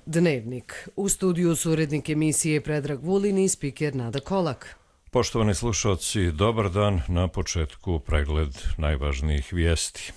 Dnevnik. U studiju su urednik emisije Predrag Vulin i spiker Nada Kolak. Poštovani slušalci, dobar dan. Na početku pregled najvažnijih vijesti.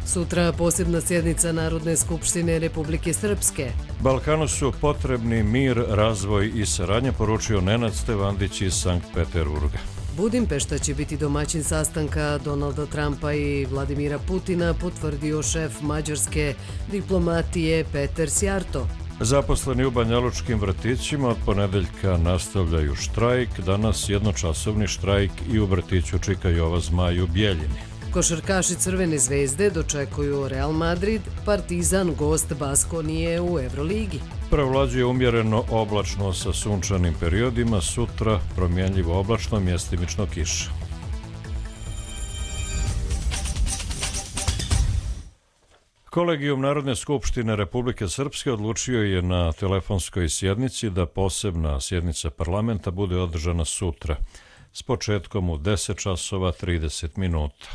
Sutra posebna sjednica Narodne skupštine Republike Srpske. Balkanu su potrebni mir, razvoj i saradnja, poručio Nenad Stevandić iz Sankt Peterburga. Budimpešta će biti domaćin sastanka Donalda Trumpa i Vladimira Putina, potvrdio šef mađarske diplomatije Peter Sjarto. Zaposleni u banjalučkim vrtićima od ponedeljka nastavljaju štrajk. Danas jednočasovni štrajk i u vrtiću Čika Jova Zmaj u Bijeljini. Košarkaši Crvene zvezde dočekuju Real Madrid, Partizan gost Baskonije u Euroligi. Prevlađuje umjereno oblačno sa sunčanim periodima, sutra promjenljivo oblačno, mjestimično kiša. Kolegijum Narodne skupštine Republike Srpske odlučio je na telefonskoj sjednici da posebna sjednica parlamenta bude održana sutra s početkom u 10 časova 30 minuta.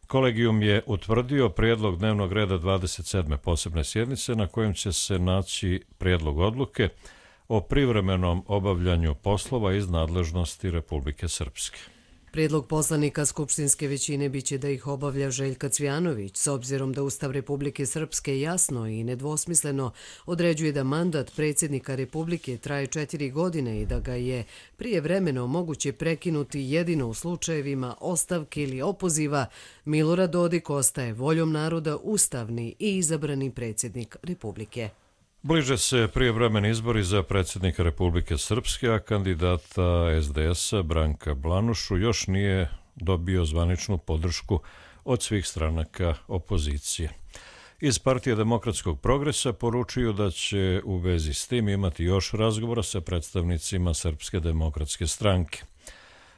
Kolegijum je utvrdio prijedlog dnevnog reda 27. posebne sjednice na kojem će se naći prijedlog odluke o privremenom obavljanju poslova iz nadležnosti Republike Srpske. Prijedlog poslanika skupštinske većine biće da ih obavlja Željka Cvjanović, s obzirom da Ustav Republike Srpske jasno i nedvosmisleno određuje da mandat predsjednika Republike traje 4 godine i da ga je prijevremeno moguće prekinuti jedino u slučajevima ostavke ili opoziva. Milorad Dodik ostaje voljom naroda ustavni i izabrani predsjednik Republike. Bliže se prijevremeni izbori za predsjednika Republike Srpske, a kandidata SDS-a Branka Blanušu još nije dobio zvaničnu podršku od svih stranaka opozicije. Iz Partije demokratskog progresa poručuju da će u vezi s tim imati još razgovora sa predstavnicima Srpske demokratske stranke.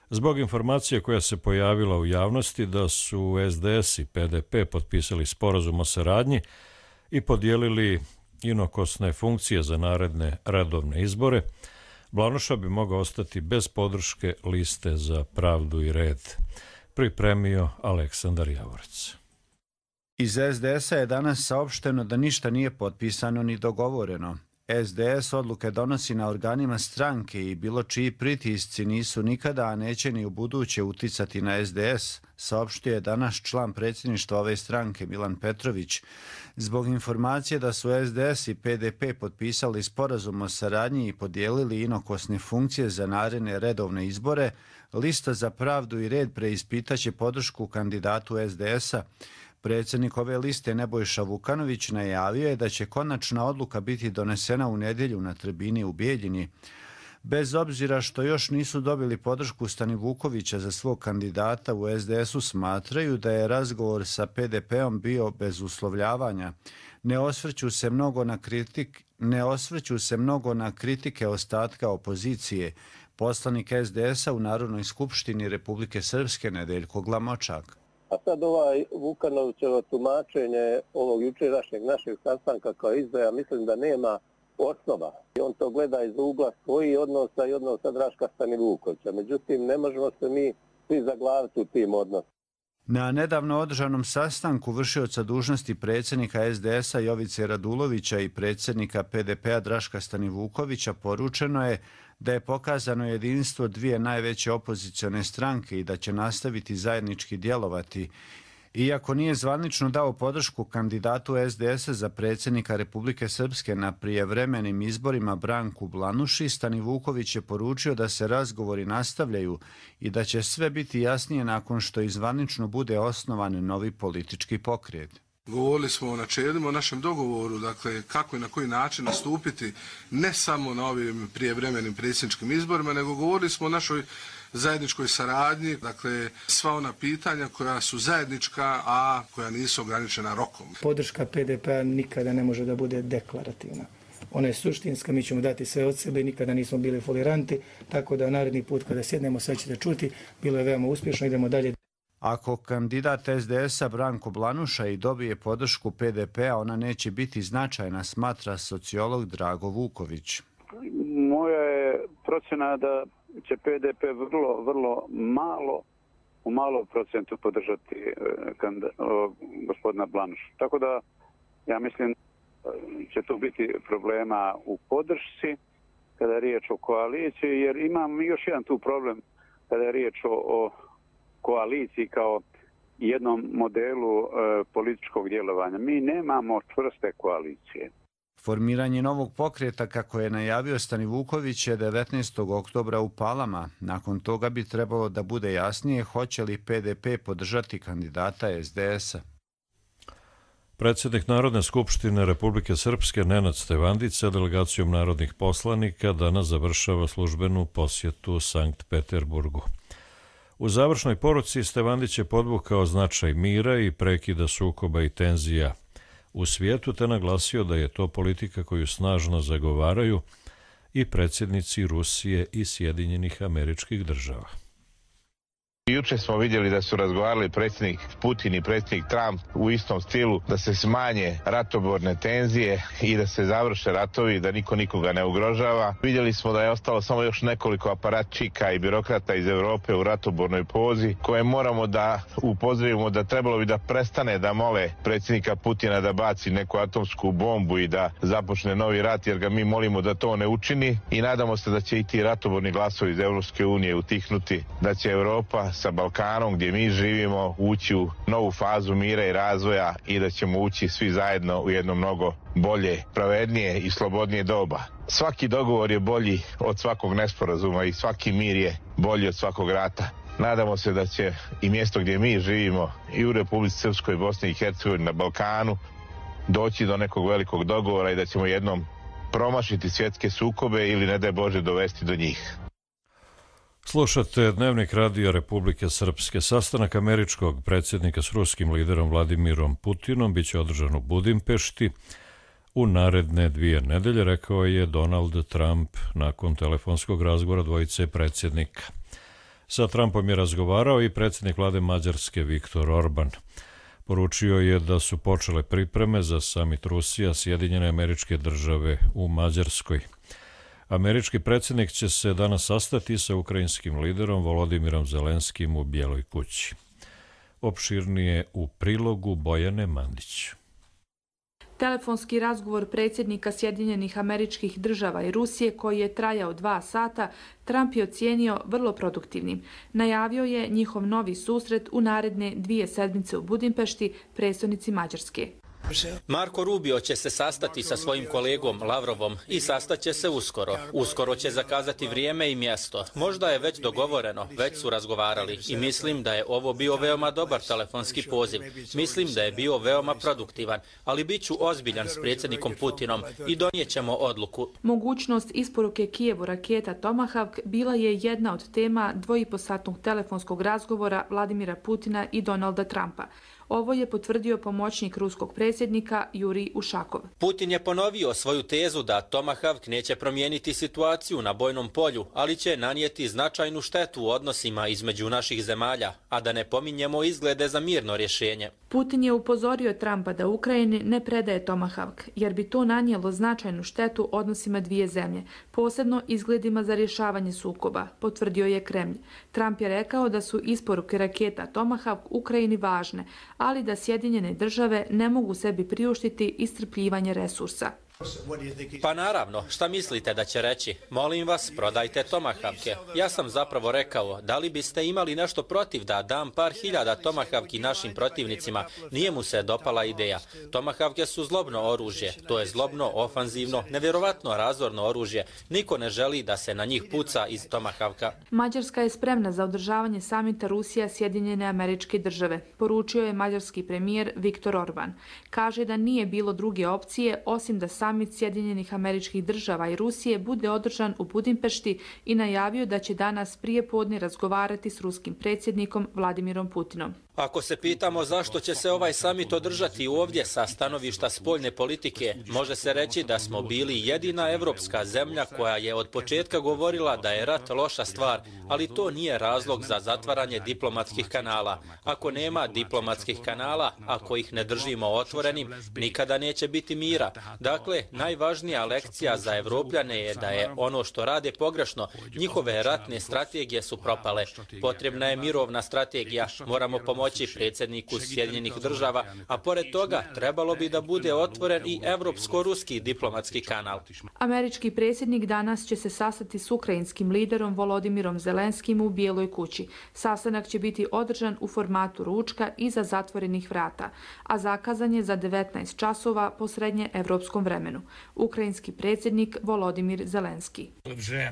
Zbog informacije koja se pojavila u javnosti da su SDS i PDP potpisali sporazum o saradnji i podijelili inokosne funkcije za naredne redovne izbore, Blanuša bi mogao ostati bez podrške Liste za pravdu i red. Pripremio Aleksandar Javorec. Iz SDS-a je danas saopšteno da ništa nije potpisano ni dogovoreno. SDS odluke donosi na organima stranke i bilo čiji pritisci nisu nikada, a neće ni u buduće uticati na SDS, saopštio je danas član predsjedništva ove stranke Milan Petrović. Zbog informacije da su SDS i PDP potpisali sporazum o saradnji i podijelili inokosne funkcije za naredne redovne izbore, Lista za pravdu i red preispitaće podršku kandidatu SDS-a. Predsjednik ove liste Nebojša Vukanović najavio je da će konačna odluka biti donesena u nedjelju na tribini u Bijeljini. Bez obzira što još nisu dobili podršku Stanivukovića za svog kandidata, u SDS-u smatraju da je razgovor sa PDP-om bio bez uslovljavanja. Ne osvrću se mnogo na kritike ostatka opozicije. Poslanik SDS-a u Narodnoj skupštini Republike Srpske Nedeljko Glamočak. A sad Vukanovićevo tumačenje ovog jučerašnjeg našeg sastanka kao izdaja, mislim da nema osnova. On to gleda iz ugla svojih odnosa i odnosa Draška Stanivukovića. Međutim, ne možemo se mi svi zaglaviti u tim odnosima. Na nedavno održanom sastanku vršioca dužnosti predsjednika SDS-a Jovice Radulovića i predsjednika PDP-a Draška Stanivukovića poručeno je da je pokazano jedinstvo dvije najveće opozicione stranke i da će nastaviti zajednički djelovati. Iako nije zvanično dao podršku kandidatu SDS-a za predsjednika Republike Srpske na prijevremenim izborima Branku Blanuši, Stanivuković je poručio da se razgovori nastavljaju i da će sve biti jasnije nakon što zvanično bude osnovan novi politički pokret. Govorili smo o načelima, o našem dogovoru, dakle kako i na koji način nastupiti ne samo na ovim prijevremenim predsjedničkim izborima, nego govorili smo o našoj zajedničkoj saradnji, dakle sva ona pitanja koja su zajednička, a koja nisu ograničena rokom. Podrška PDP-a nikada ne može da bude deklarativna. Ona je suštinska, mi ćemo dati sve od sebe, nikada nismo bili foliranti, tako da naredni put kada sjednemo sve ćete čuti, bilo je veoma uspješno, idemo dalje. Ako kandidat SDS-a Branko Blanuša i dobije podršku PDP-a, ona neće biti značajna, smatra sociolog Drago Vuković. Moja je procjena da će PDP vrlo malo, u malom procentu podržati gospodina Blanuša. Tako da Ja mislim će tu biti problema u podršci kada je riječ o koaliciji, jer imam još jedan tu problem kada je riječ o koaliciji kao jednom modelu političkog djelovanja. Mi nemamo čvrste koalicije. Formiranje novog pokreta, kako je najavio Stanivuković, je 19. oktobra u Palama. Nakon toga bi trebalo da bude jasnije hoće li PDP podržati kandidata SDS-a. Predsjednik Narodne skupštine Republike Srpske Nenad Stevandić sa delegacijom narodnih poslanika danas završava službenu posjetu Sankt Peterburgu. U završnoj poruci Stevandić je podvukao značaj mira i prekida sukoba i tenzija u svijetu, te naglasio da je to politika koju snažno zagovaraju i predsjednici Rusije i Sjedinjenih Američkih Država. Juče smo vidjeli da su razgovarali predsjednik Putin i predsjednik Trump u istom stilu, da se smanje ratoborne tenzije i da se završe ratovi, da niko nikoga ne ugrožava. Vidjeli smo da je ostalo samo još nekoliko aparatčika i birokrata iz Europe u ratobornoj pozi, koje moramo da upozorim da trebalo bi da prestane da mole predsjednika Putina da baci neku atomsku bombu i da započne novi rat, jer ga mi molimo da to ne učini, i nadamo se da će i ti ratoborni glasovi iz Europske unije utihnuti, da će Europa sa Balkanom, gdje mi živimo, ući u novu fazu mira i razvoja i da ćemo ući svi zajedno u jedno mnogo bolje, pravednije i slobodnije doba. Svaki dogovor je bolji od svakog nesporazuma i svaki mir je bolji od svakog rata. Nadamo se da će i mjesto gdje mi živimo, i u Republici Srpskoj, Bosni i Hercegovini, na Balkanu, doći do nekog velikog dogovora i da ćemo jednom promašiti svjetske sukobe ili, ne daj Bože, dovesti do njih. Slušate Dnevnik radija Republike Srpske. Sastanak američkog predsjednika s ruskim liderom Vladimirom Putinom biće održan u Budimpešti u naredne 2 nedelje, rekao je Donald Trump nakon telefonskog razgovora dvojice predsjednika. Sa Trumpom je razgovarao i predsjednik vlade Mađarske Viktor Orban. Poručio je da su počele pripreme za samit Rusija, Sjedinjene Američke Države u Mađarskoj. Američki predsjednik će se danas sastati sa ukrajinskim liderom Volodimirom Zelenskim u Bijeloj kući. Opširnije u prilogu Bojane Mandić. Telefonski razgovor predsjednika Sjedinjenih Američkih Država i Rusije, koji je trajao 2 sata, Trump je ocijenio vrlo produktivnim. Najavio je njihov novi susret u naredne 2 sedmice u Budimpešti, prestonici Mađarske. Marko Rubio će se sastati sa svojim kolegom Lavrovom i sastaće se uskoro. Uskoro će zakazati vrijeme i mjesto. Možda je već dogovoreno, već su razgovarali i mislim da je ovo bio veoma dobar telefonski poziv. Mislim da je bio veoma produktivan, ali bit ću ozbiljan s predsjednikom Putinom i donijet ćemo odluku. Mogućnost isporuke Kijevu raketa Tomahawk bila je jedna od tema 2,5-satnog telefonskog razgovora Vladimira Putina i Donalda Trumpa. Ovo je potvrdio pomoćnik ruskog predsjednika Jurij Ušakov. Putin je ponovio svoju tezu da Tomahawk neće promijeniti situaciju na bojnom polju, ali će nanijeti značajnu štetu u odnosima između naših zemalja, a da ne pominjemo izglede za mirno rješenje. Putin je upozorio Trumpa da Ukrajini ne predaje Tomahawk, jer bi to nanijelo značajnu štetu odnosima 2 zemlje, posebno izgledima za rješavanje sukoba, potvrdio je Kremlj. Trump je rekao da su isporuke raketa Tomahawk Ukrajini važne, ali da Sjedinjene Države ne mogu sebi priuštiti iscrpljivanje resursa. Pa naravno, šta mislite da će reći? Molim vas, prodajte Tomahawke. Ja sam zapravo rekao, da li biste imali nešto protiv da dam par hiljada Tomahawki našim protivnicima? Nije mu se dopala ideja. Tomahawke su zlobno oružje. To je zlobno, ofanzivno, nevjerovatno razorno oružje. Niko ne želi da se na njih puca iz Tomahawka. Mađarska je spremna za održavanje samita Rusija Sjedinjene Američke Države, poručio je mađarski premijer Viktor Orban. Kaže da nije bilo druge opcije osim da samit Sjedinjenih Američkih Država i Rusije bude održan u Budimpešti i najavio da će danas prije podne razgovarati s ruskim predsjednikom Vladimirom Putinom. Ako se pitamo zašto će se ovaj samit održati ovdje sa stanovišta spoljne politike, može se reći da smo bili jedina evropska zemlja koja je od početka govorila da je rat loša stvar, ali to nije razlog za zatvaranje diplomatskih kanala. Ako nema diplomatskih kanala, ako ih ne držimo otvorenim, nikada neće biti mira. Dakle, najvažnija lekcija za Evropljane je da je ono što rade pogrešno. Njihove ratne strategije su propale. Potrebna je mirovna strategija. Moramo pomoći pomoći predsjedniku Sjedinjenih država, a pored toga trebalo bi da bude otvoren i evropsko-ruski diplomatski kanal. Američki predsjednik danas će se sastati s ukrajinskim liderom Volodimirom Zelenskim u Bijeloj kući. Sastanak će biti održan u formatu ručka iza zatvorenih vrata, a zakazan je za 19 časova po srednje evropskom vremenu. Ukrajinski predsjednik Volodimir Zelenski.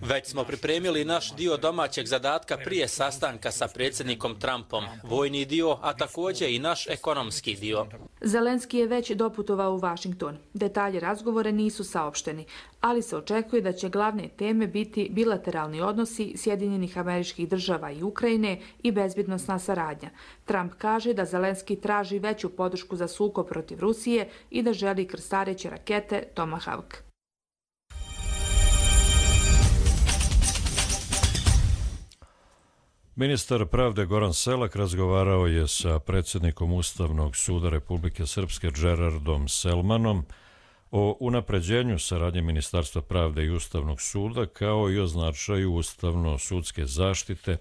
Već smo pripremili naš dio domaćeg zadatka prije sastanka sa predsjednikom Trumpom, vojni dio, a također i naš ekonomski dio. Zelenski je već doputovao u Washington. Detalji razgovora nisu saopšteni, ali se očekuje da će glavne teme biti bilateralni odnosi Sjedinjenih Američkih Država i Ukrajine i bezbjednosna saradnja. Trump kaže da Zelenski traži veću podršku za sukob protiv Rusije i da želi krstareće rakete Tomahawk. Ministar pravde Goran Selak razgovarao je sa predsjednikom Ustavnog suda Republike Srpske Gerardom Selmanom o unapređenju saradnje Ministarstva pravde i Ustavnog suda kao i o značaju ustavno-sudske zaštite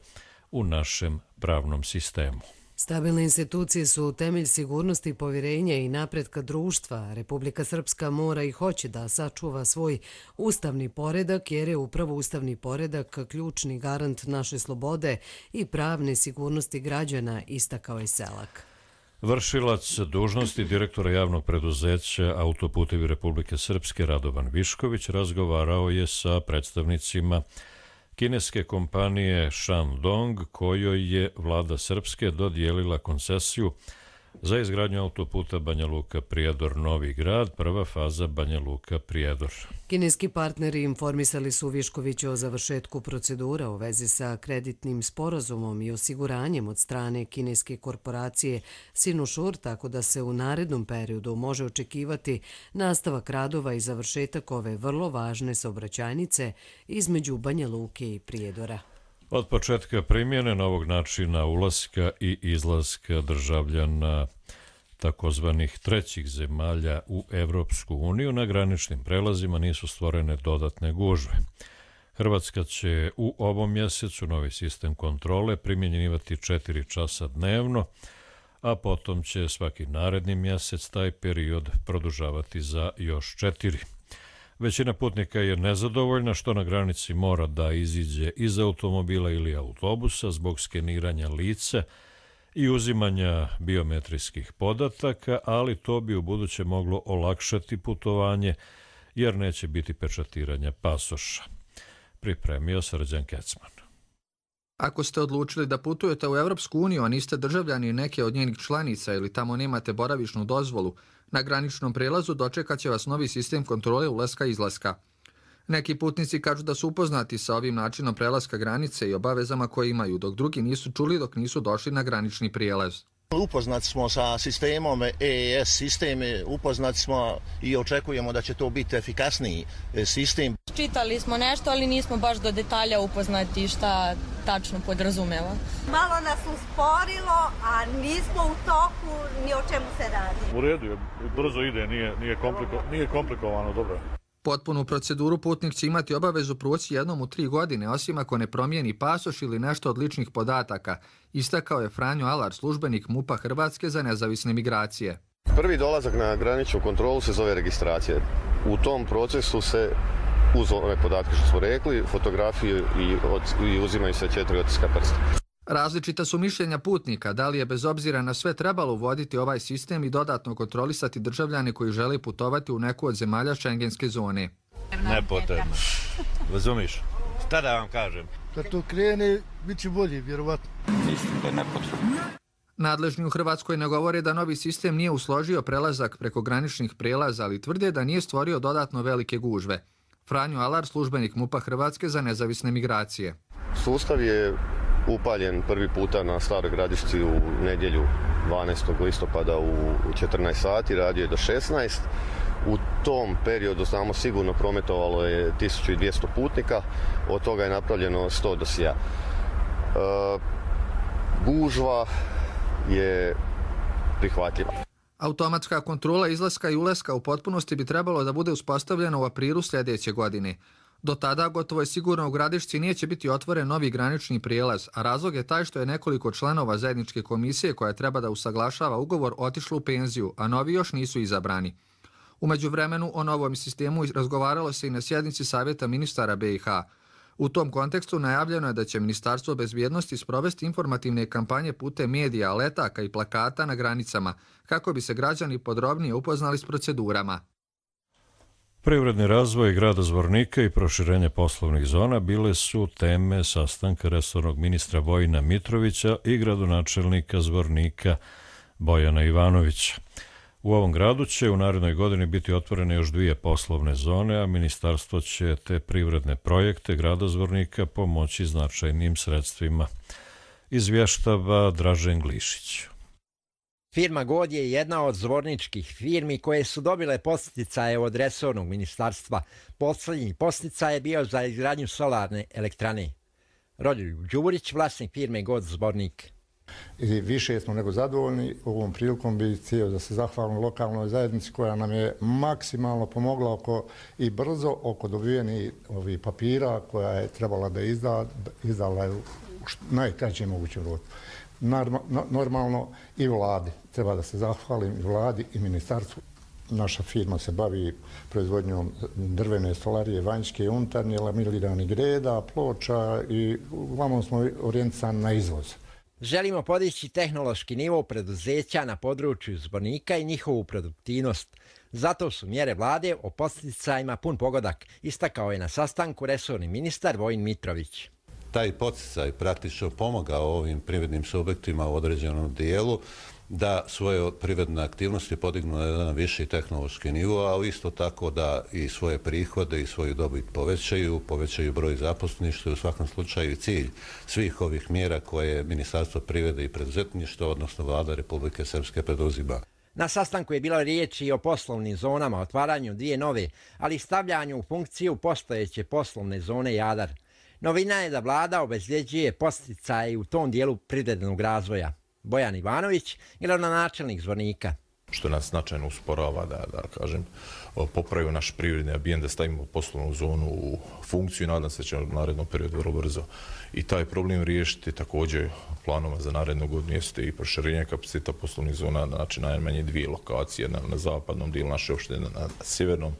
u našem pravnom sistemu. Stabilne institucije su temelj sigurnosti, povjerenja i napretka društva. Republika Srpska mora i hoće da sačuva svoj ustavni poredak, jer je upravo ustavni poredak ključni garant naše slobode i pravne sigurnosti građana, istakao je Selak. Vršilac dužnosti direktora javnog preduzeća Autoputevi Republike Srpske Radovan Višković razgovarao je sa predstavnicima kineske kompanije Shandong, kojoj je vlada Srpske dodijelila koncesiju za izgradnju autoputa Banja Luka-Prijedor-Novi Grad, prva faza Banja Luka-Prijedor. Kineski partneri informisali su Viškovića o završetku procedura u vezi sa kreditnim sporazumom i osiguranjem od strane kineske korporacije Sinosure, tako da se u narednom periodu može očekivati nastavak radova i završetak ove vrlo važne saobraćajnice između Banja Luke i Prijedora. Od početka primjene novog načina ulaska i izlaska državljana takozvanih trećih zemalja u Evropsku uniju na graničnim prelazima nisu stvorene dodatne gužve. Hrvatska će u ovom mjesecu novi sistem kontrole primjenjivati 4 časa dnevno, a potom će svaki naredni mjesec taj period produžavati za još 4. Većina putnika je nezadovoljna što na granici mora da iziđe iz automobila ili autobusa zbog skeniranja lica i uzimanja biometrijskih podataka, ali to bi ubuduće moglo olakšati putovanje jer neće biti pečatiranja pasoša. Pripremio Srđan Kecman. Ako ste odlučili da putujete u Evropsku uniju, a niste državljani neke od njenih članica ili tamo nemate boravišnu dozvolu, na graničnom prelazu dočekat će vas novi sistem kontrole ulaska i izlaska. Neki putnici kažu da su upoznati sa ovim načinom prelaska granice i obavezama koje imaju, dok drugi nisu čuli dok nisu došli na granični prijelaz. Upoznati smo sa sistemom EES sistem, upoznati smo i očekujemo da će to biti efikasniji sistem. Čitali smo nešto, ali nismo baš do detalja upoznati šta tačno podrazumeva. Malo nas usporilo, a nismo u toku ni o čemu se radi. U redu je, brzo ide, nije komplikovano, dobro. Potpunu proceduru putnik će imati obavezu proći jednom u 3 godine, osim ako ne promijeni pasoš ili nešto od ličnih podataka, istakao je Franjo Alar, službenik MUP-a Hrvatske za nezavisne migracije. Prvi dolazak na graničnu kontrolu se zove registracija. U tom procesu se, uz ove podatke što smo rekli, fotografiju i uzimaju se 4 otiska prsta. Različita su mišljenja putnika, da li je bez obzira na sve trebalo uvoditi ovaj sistem i dodatno kontrolisati državljane koji žele putovati u neku od zemalja šengenske zone. Nepotrebno. Razumiš? Šta da vam kažem? Kad to krene, bit će bolje, vjerovatno. Mislim da je nepotrebno. Nadležni u Hrvatskoj ne govore da novi sistem nije usložio prelazak preko graničnih prelaza, ali tvrde da nije stvorio dodatno velike gužve. Franjo Alar, službenik MUP-a Hrvatske za nezavisne migracije. Sustav je upaljen prvi puta na Staroj Gradišci u nedjelju 12. listopada u 14 sati, radio je do 16. U tom periodu znamo sigurno prometovalo je 1200 putnika, od toga je napravljeno 100 dosija. Gužva je prihvatljiva. Automatska kontrola izlaska i ulaska u potpunosti bi trebalo da bude uspostavljena u aprilu sljedeće godine. Do tada gotovo je sigurno u Gradišci neće biti otvoren novi granični prijelaz, a razlog je taj što je nekoliko članova zajedničke komisije koja treba da usaglašava ugovor otišlo u penziju, a novi još nisu izabrani. U međuvremenu o novom sistemu razgovaralo se i na sjednici Savjeta ministara BiH. U tom kontekstu najavljeno je da će Ministarstvo bezbjednosti sprovesti informativne kampanje putem medija, letaka i plakata na granicama, kako bi se građani podrobnije upoznali s procedurama. Privredni razvoj grada Zvornika i proširenje poslovnih zona bile su teme sastanka resornog ministra Vojina Mitrovića i gradonačelnika Zvornika Bojana Ivanovića. U ovom gradu će u narednoj godini biti otvorene još 2 poslovne zone, a ministarstvo će te privredne projekte grada Zvornika pomoći značajnim sredstvima. Izvještava Dražen Glišić. Firma God je jedna od zvorničkih firmi koje su dobile podsticaje od resornog ministarstva. Poslednji podsticaj je bio za izgradnju solarne elektrane. Rođeljub Đurić, vlasnik firme God Zvornik. I više smo nego zadovoljni. Ovom prilikom bih htio da se zahvalim lokalnoj zajednici koja nam je maksimalno pomogla i brzo oko dobijenih ovih papira koja je trebala da izdala je u najkraćem mogućem roku. Normalno i vladi. Treba da se zahvalim i vladi i ministarstvu. Naša firma se bavi proizvodnjom drvene stolarije, vanjske i unutarnje, laminiranih greda, ploča i uglavnom smo orijentisani na izvoz. Želimo podići tehnološki nivo preduzeća na području Zvornika i njihovu produktivnost. Zato su mjere vlade o podsticajima pun pogodak, istakao je na sastanku resorni ministar Vojin Mitrović. Taj podsticaj praktično pomogao ovim privrednim subjektima u određenom dijelu da svoje privredne aktivnosti podignu na jedan viši tehnološki nivo, a isto tako da i svoje prihode i svoju dobit povećaju broj zaposlenih, što je u svakom slučaju cilj svih ovih mjera koje Ministarstvo privrede i preduzetništva, odnosno Vlada Republike Srpske preduzima. Na sastanku je bilo riječi i o poslovnim zonama, otvaranju 2 nove, ali i stavljanju u funkciju postojeće poslovne zone Jadar. Novina je da vlada obezvjeđuje podsticaje u tom dijelu privrednog razvoja. Bojan Ivanović, gradonačelnik Zvornika. Što nas značajno usporava da kažem, popravimo naš privredni ambijent, da stavimo poslovnu zonu u funkciju i nadam se da ćemo u narednom periodu vrlo brzo i taj problem riješiti. Također planova za narednu godinu jeste i proširenje kapaciteta poslovnih zona, znači najmanje 2 lokacije na zapadnom dijelu naše opštine, na sjevernom.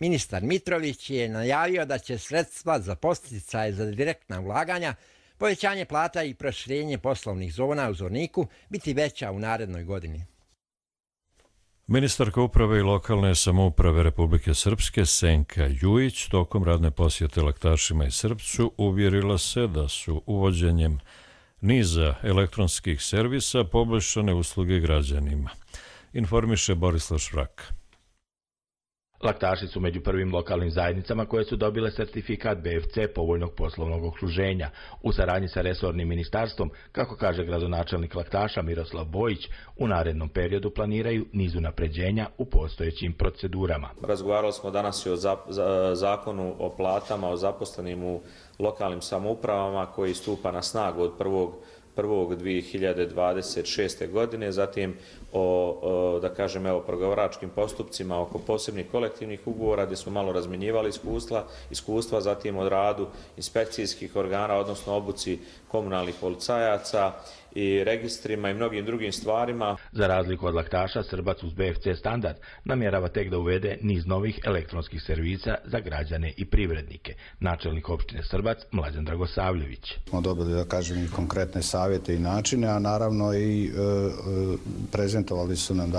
Ministar Mitrović je najavio da će sredstva za podsticaje za direktna ulaganja, povećanje plata i proširenje poslovnih zona u Zvorniku biti veća u narednoj godini. Ministarka uprave i lokalne samouprave Republike Srpske Senka Jujić tokom radne posjete Laktašima i Srpcu uvjerila se da su uvođenjem niza elektronskih servisa poboljšane usluge građanima. Informiše Borislav Švrak. Laktaši su među prvim lokalnim zajednicama koje su dobile sertifikat BFC povoljnog poslovnog okruženja. U saradnji sa resornim ministarstvom, kako kaže gradonačelnik Laktaša Miroslav Bojić, u narednom periodu planiraju niz unapređenja u postojećim procedurama. Razgovarali smo danas i o zakonu o platama, o zaposlenim u lokalnim samoupravama koji stupa na snagu od 1.1.2026. godine, zatim o pregovaračkim postupcima oko posebnih kolektivnih ugovora gdje smo malo razmjenjivali iskustva, zatim o radu inspekcijskih organa, odnosno obuci komunalnih policajaca i registrima i mnogim drugim stvarima. Za razliku od Laktaša, Srbac uz BFC standard namjerava tek da uvede niz novih elektronskih servisa za građane i privrednike. Načelnik opštine Srbac Mlađan Dragosavljević. Smo dobili, i konkretne savjete i načine, a naravno i prezentovali su nam,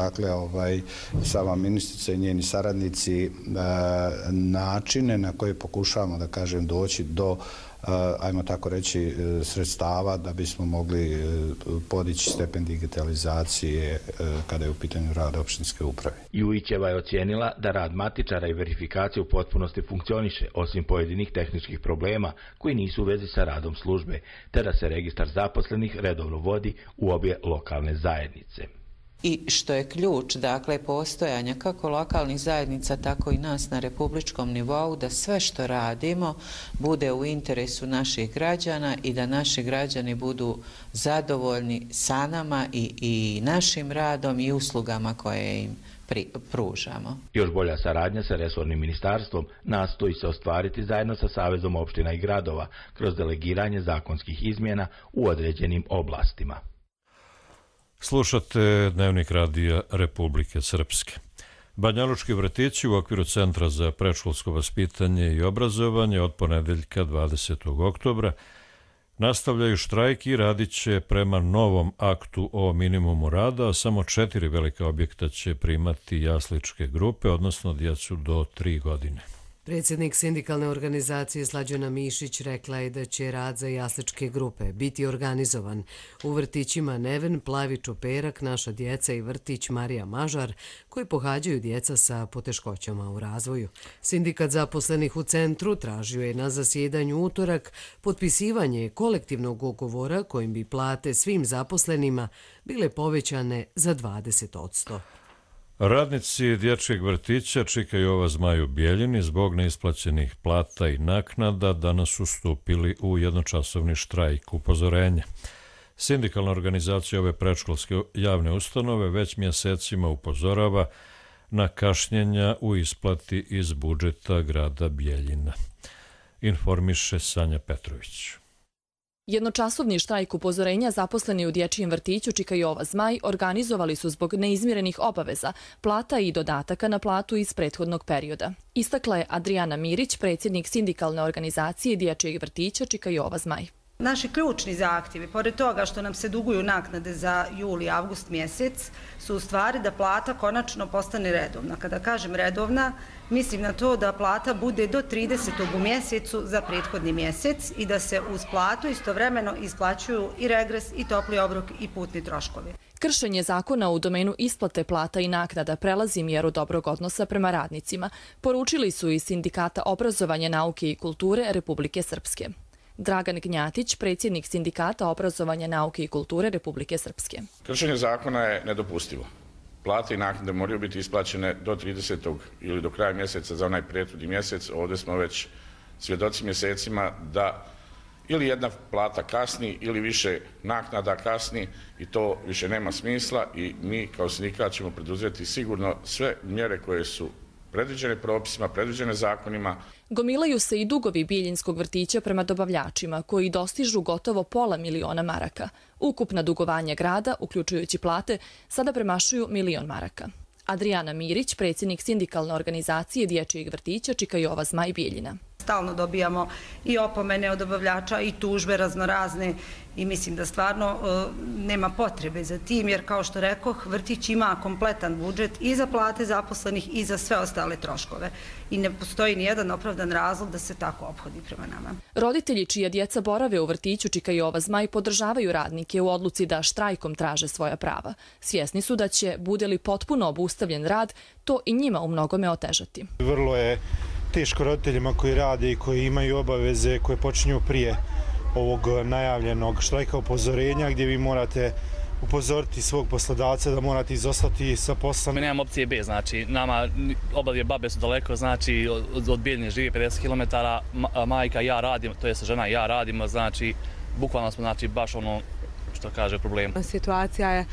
sama ministrica i njeni saradnici načine na koje pokušavamo, doći do ajmo tako reći, sredstava da bismo mogli podići stepen digitalizacije kada je u pitanju rada opštinske uprave. Jujićeva je ocijenila da rad matičara i verifikacije u potpunosti funkcioniše, osim pojedinih tehničkih problema koji nisu u vezi sa radom službe, te da se registar zaposlenih redovno vodi u obje lokalne zajednice. I što je ključ, postojanja kako lokalnih zajednica, tako i nas na republičkom nivou, da sve što radimo bude u interesu naših građana i da naši građani budu zadovoljni sa nama i našim radom i uslugama koje im pružamo. Još bolja saradnja sa resornim ministarstvom nastoji se ostvariti zajedno sa Savezom opština i gradova kroz delegiranje zakonskih izmjena u određenim oblastima. Slušate Dnevnik radija Republike Srpske. Banjalučki vrtići u okviru Centra za predškolsko vaspitanje i obrazovanje od ponedeljka 20. oktobra nastavljaju štrajk i radit će prema novom aktu o minimumu rada, a samo 4 velika objekta će primati jasličke grupe, odnosno djecu do 3 godine. Predsjednik sindikalne organizacije Slađana Mišić rekla je da će rad za jasličke grupe biti organizovan u vrtićima Neven, Plavi Čoperak, Naša djeca i vrtić Marija Mažar, koji pohađaju djeca sa poteškoćama u razvoju. Sindikat zaposlenih u centru tražio je na zasjedanju utorak potpisivanje kolektivnog ugovora kojim bi plate svim zaposlenima bile povećane za 20%. Radnici dječjeg vrtića Čika Jova Zmaj u Bijeljini zbog neisplaćenih plata i naknada danas su stupili u jednočasovni štrajk upozorenja. Sindikalna organizacija ove predškolske javne ustanove već mjesecima upozorava na kašnjenja u isplati iz budžeta grada Bijeljina. Informiše Sanja Petrović. Jednočasovni štrajk upozorenja zaposleni u dječjem vrtiću Čika Jova Zmaj organizovali su zbog neizmirenih obaveza, plata i dodataka na platu iz prethodnog perioda. Istakla je Adriana Mirić, predsjednik sindikalne organizacije dječjeg vrtića Čika Jova Zmaj. Naši ključni zahtjevi, pored toga što nam se duguju naknade za jul i avgust mjesec, su u stvari da plata konačno postane redovna. Kada kažem redovna, mislim na to da plata bude do 30. u mjesecu za prethodni mjesec i da se uz platu istovremeno isplaćuju i regres, i topli obrok, i putni troškovi. Kršenje zakona u domenu isplate plata i naknada prelazi mjeru dobrog odnosa prema radnicima, poručili su iz Sindikata obrazovanja, nauke i kulture Republike Srpske. Dragan Gnjatić, predsjednik Sindikata obrazovanja, nauke i kulture Republike Srpske. Kršenje zakona je nedopustivo. Plate i naknade moraju biti isplaćene do 30. ili do kraja mjeseca za onaj prethodni mjesec. Ovdje smo već svjedoci mjesecima da ili jedna plata kasni ili više naknada kasni i to više nema smisla i mi kao sindikat ćemo preduzeti sigurno sve mjere koje su predviđene propisima, predviđene zakonima. Gomilaju se i dugovi Bijeljinskog vrtića prema dobavljačima, koji dostižu gotovo $500.000 maraka. Ukupna dugovanja grada, uključujući plate, sada premašuju $1.000.000 maraka. Adriana Mirić, predsjednik sindikalne organizacije dječjeg vrtića Čika Jova Zmaj Bijeljina. Stalno dobijamo i opomene od dobavljača i tužbe raznorazne i mislim da stvarno nema potrebe za tim, jer kao što rekoh, vrtić ima kompletan budžet i za plate zaposlenih i za sve ostale troškove. I ne postoji nijedan opravdan razlog da se tako ophodi prema nama. Roditelji čija djeca borave u vrtiću Čika Jova Zmaj podržavaju radnike u odluci da štrajkom traže svoja prava. Svjesni su da će, bude li potpuno obustavljen rad, to i njima u mnogome otežati. Vrlo je teško roditeljima koji rade i koji imaju obaveze koje počinju prije ovog najavljenog štrajka upozorenja, gdje vi morate upozoriti svog poslodavca da morate izostati sa posla. Mi nemam opcije B, znači nama obadvije babe su daleko, znači od Bijeljine živi 50 km, majka i ja radim, to je žena i ja radimo, znači bukvalno smo znači baš ono što kaže problem. Situacija je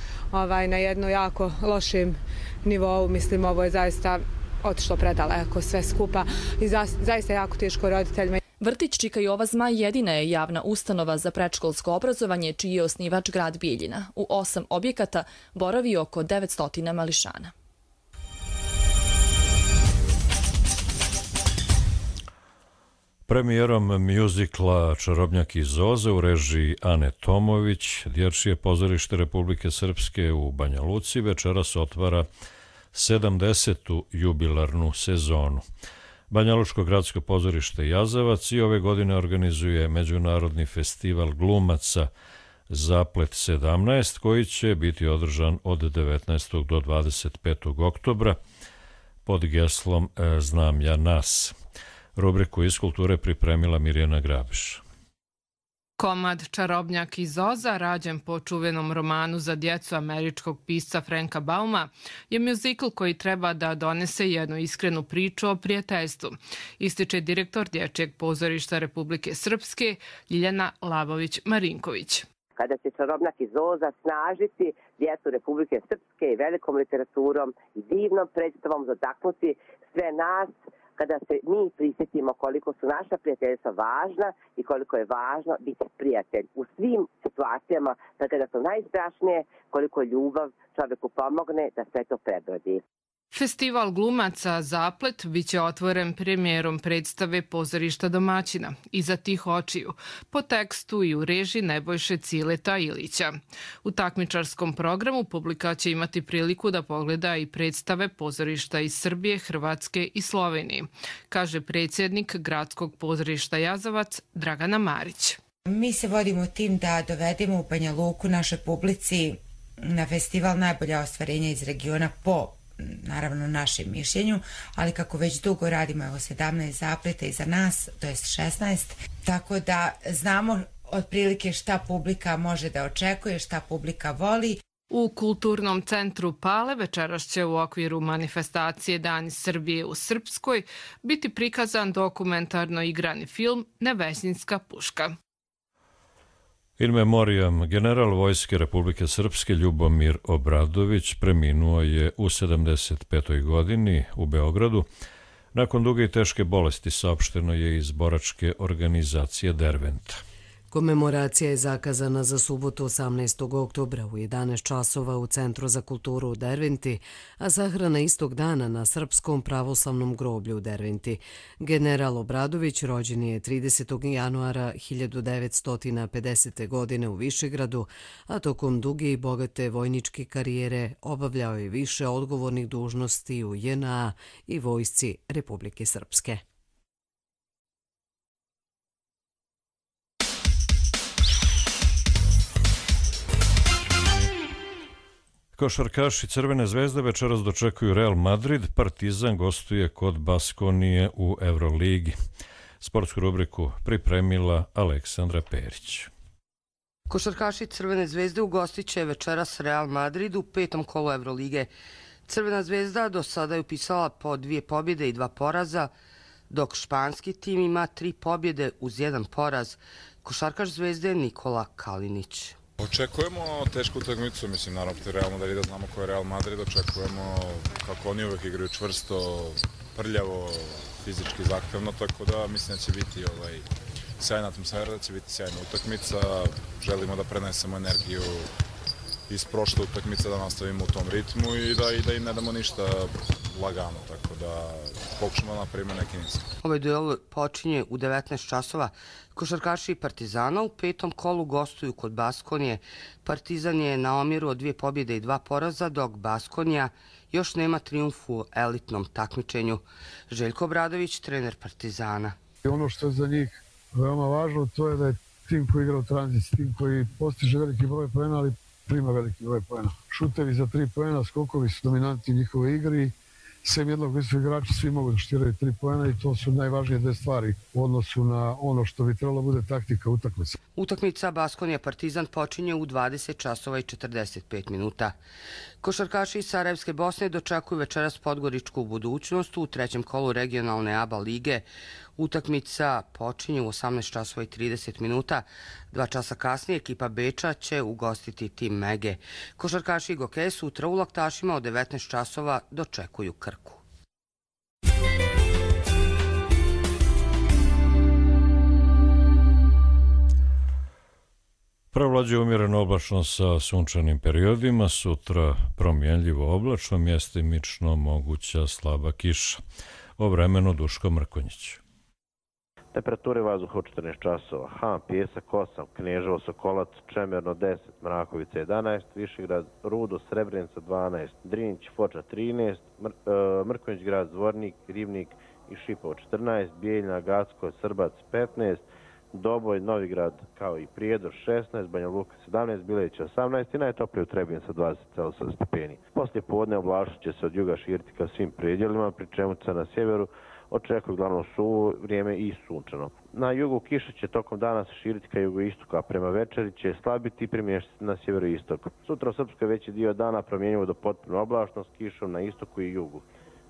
na jedno jako lošem nivou, mislim ovo je zaista otišlo predaleko sve skupa i zaista jako teško roditeljima. Vrtić Čika Jova Zmaj jedina je javna ustanova za predškolsko obrazovanje čiji je osnivač grad Bijeljina. U 8 objekata boravi oko 900 mališana. Premijerom mjuzikla Čarobnjak iz Zoze u režiji Ane Tomović, Dječje pozorište Republike Srpske u Banja Luci večeras otvara 70. jubilarnu sezonu. Banjalučko gradsko pozorište Jazavac i ove godine organizuje Međunarodni festival glumaca Zaplet 17, koji će biti održan od 19. do 25. oktobra pod geslom Znam ja nas. Rubriku iz kulture pripremila Mirjana Grabiš. Komad Čarobnjak iz Zoza, rađen po čuvenom romanu za djecu američkog pisca Franka Bauma, je mjuzikl koji treba da donese jednu iskrenu priču o prijateljstvu, ističe direktor Dječjeg pozorišta Republike Srpske Ljiljana Lavović-Marinković. kada će Čarobnjak iz Zoza snažiti djecu Republike Srpske i velikom literaturom i divnom predstavom dotaknuti sve nas, kada se mi prisjetimo koliko su naša prijateljstva važna i koliko je važno biti prijatelj u svim situacijama, pa kada su najstrašnije, koliko ljubav čovjeku pomogne da sve to prebrodi. Festival glumaca Zaplet biće otvoren premijerom predstave Pozorišta domaćina Iza tih očiju, po tekstu i u režiji Nebojše Cileta Ilića. U takmičarskom programu publika će imati priliku da pogleda i predstave pozorišta iz Srbije, Hrvatske i Slovenije, kaže predsjednik Gradskog pozorišta Jazavac Dragana Marić. Mi se vodimo tim da dovedemo u Banja Luku našoj publici na festival najbolja ostvarenja iz regiona po naravno našem mišljenju, ali kako već dugo radimo, evo 17 zapleta iza nas, to jest 16, tako da znamo otprilike šta publika može da očekuje, šta publika voli. U Kulturnom centru Pale večeras će u okviru manifestacije Dani Srbije u Srpskoj biti prikazan dokumentarno igrani film Nevesinjska puška. In memoriam, general Vojske Republike Srpske Ljubomir Obradović preminuo je u 75. godini u Beogradu. Nakon duge i teške bolesti saopšteno je iz boračke organizacije Derventa. Komemoracija je zakazana za subotu 18. oktobra u 11 časova u Centru za kulturu u Derventi, a sahrana istog dana na Srpskom pravoslavnom groblju u Derventi. General Obradović rođen je 30. januara 1950. godine u Višegradu, a tokom duge i bogate vojničke karijere obavljao je više odgovornih dužnosti u JNA i Vojsci Republike Srpske. Košarkaši Crvene zvezde večeras dočekuju Real Madrid, Partizan gostuje kod Baskonije u Euroligi. Sportsku rubriku pripremila Aleksandra Perić. Košarkaši Crvene zvezde ugostit će večeras Real Madrid u 5. kolu Evrolige. Crvena zvezda do sada je upisala po 2 pobjede i 2 poraza, dok španski tim ima 3 pobjede uz 1 poraz. Košarkaš zvezde Nikola Kalinić. Očekujemo tešku utakmicu, mislim naravno protiv Real Madrida, znamo ko je Real Madrid, očekujemo kako oni uvek igraju čvrsto, prljavo, fizički zahtevno, tako da mislim da će biti sjajna atmosfera, da će biti sjajna utakmica, želimo da prenesemo energiju iz prošle utakmice, da nastavimo u tom ritmu i da im ne damo ništa lagano, tako da pokušamo da napravimo neki niz. Ovaj duel počinje u 19 časova. Košarkaši Partizana u 5. kolu gostuju kod Baskonije. Partizan je na omjeru od 2 pobjede i 2 poraza, dok Baskonija još nema trijumf u elitnom takmičenju. Željko Obradović, trener Partizana. Ono što je za njih veoma važno, to je da je tim koji igra u tranziciji, tim koji postiže veliki broj poena, ali prima veliki broj poena. Šutevi za 3 poena, skokovi su dominantni u njihovoj igri. Sem jednog visokog igrača svi mogu da šutiraju 3 poena i to su najvažnije 2 stvari u odnosu na ono što bi trebalo bude taktika utakmice. Utakmica Baskonija Partizan počinje u 20 časova i 45 minuta. Košarkaši iz Sarajevske Bosne dočekuju večeras Podgoričku budućnost u 3. kolu regionalne ABA lige. Utakmica počinje u 18 časova i 30 minuta. 2 časa kasnije ekipa Beča će ugostiti tim Mege. Košarkaši i Gokeje sutra u Laktašima od 19 časova dočekuju Krku. Provlađuje umjereno oblačno sa sunčanim periodima, sutra promjenljivo oblačno, mjestimično moguća slaba kiša. O vremenu Duško Mrkonjić. Temperature vazduha u 14 časova. Han, Pjesak 8, Kneževo, Sokolac, Čemerno 10, Mrakovica 11, Višegrad, Rudo, Srebrenica 12, Drinić, Foča 13, Mrkonjić grad, Zvornik, Rivnik i Šipovo 14, Bijeljna, Gacko, Srbac 15, Doboj, Novigrad kao i Prijedor 16, Banja Luka 17, Bileća 18 i najtoplije u Trebinju sa 20,7 stepeni. Poslije podne oblačit će se od juga širiti ka svim predjelima, pri čemu se na sjeveru očekuje uglavnom suvo vrijeme i sunčano. Na jugu kiša će tokom dana se širiti ka jugoistoku, a prema večeri će slabiti i premještati na sjeveroistok. Sutra u Srpskoj veći dio dana promjenjivo do potpuno oblačno s kišom na istoku i jugu,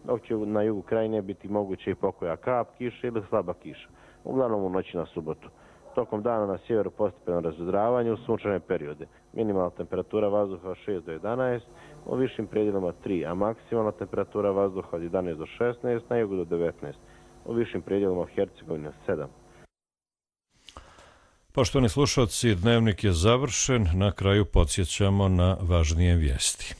dok će na jugu krajine biti moguće i pokoja kap kiše ili slaba kiša, uglavnom u noći na subotu. Tokom dana na sjeveru postepeno razvedravanje u sunčane periode. Minimalna temperatura vazduha od 6 do 11, u višim predjelima 3, a maksimalna temperatura vazduha od 11 do 16, na jugu do 19, u višim predjelima u Hercegovini 7. Poštovani slušalci, dnevnik je završen. Na kraju podsjećamo na važnije vijesti.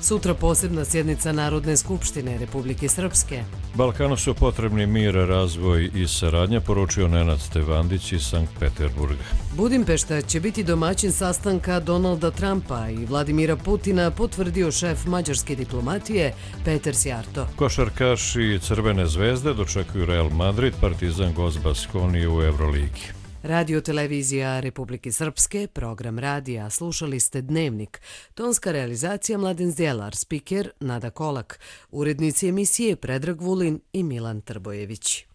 Sutra posebna sjednica Narodne skupštine Republike Srpske. Balkanu su potrebni mir, razvoj i saradnja, poručio Nenad Stevandić iz Sankt Peterburga. Budimpešta će biti domaćin sastanka Donalda Trumpa i Vladimira Putina, potvrdio šef mađarske diplomatije Peter Sjarto. Košarkaši Crvene zvezde dočekuju Real Madrid, Partizan Gost Baskoni u Euroligi. Radio televizija Republike Srpske, program radija, slušali ste Dnevnik. Tonska realizacija Mladen Zdjelar, spiker Nada Kolak, urednici emisije Predrag Vulin i Milan Trbojević.